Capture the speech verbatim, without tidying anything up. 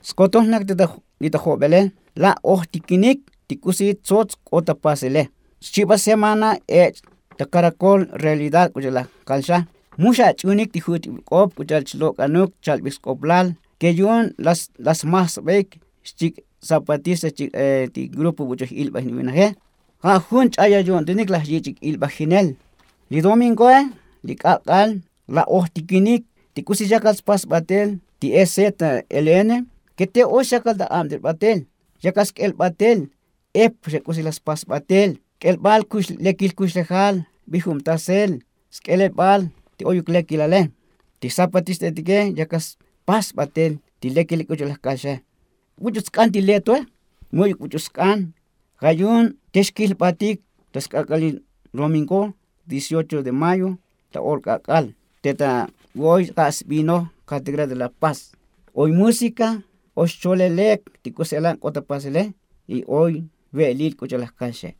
Skotol nak li ta jobele la' ojtikinik ti k'usi tsots k'ot ta pasele. Xchiba semana ech' ta karakol realidad k'u cha'al laj kalxa. Mu xach'unik ti juch'ibul k'op k'u cha'al chlok'anuk chalbij sk'oplal ke yu'un la smajsbaik xchik' zapatista xchik' ti grupo buch'oj ilbaj nibinaje. Ja' jun ch'ayal yu'untinik laj yich'ik ilbajinel. Li domingoe li k'ak'al la ojtikinik ti k'usi yakal spas batel ti e z l n ke te oy xakal ta abtel batel. Yakal sk'el batel ep xa k'usi la spas batel k'elbal lekil kuxlejal bijum tasel sk'elel bal ti oyuk lekilale. Ti zapatista etike yakal spas batel ti lekil k'u cha'al laj kalxe. Buch'u sk'an ti letoe. Mu'yuk buch'u sk'an ja' yu'un te xkil batik ta sk'ak'alil domingo dieciocho de mayo ta ol k'ak'al te ta oy k'a' sbino kategra de la paz. Oy músika oy xcholelek ti k'usi elan k'ot ta pasele y oy ve'elil k'u cha'al laj kalxe.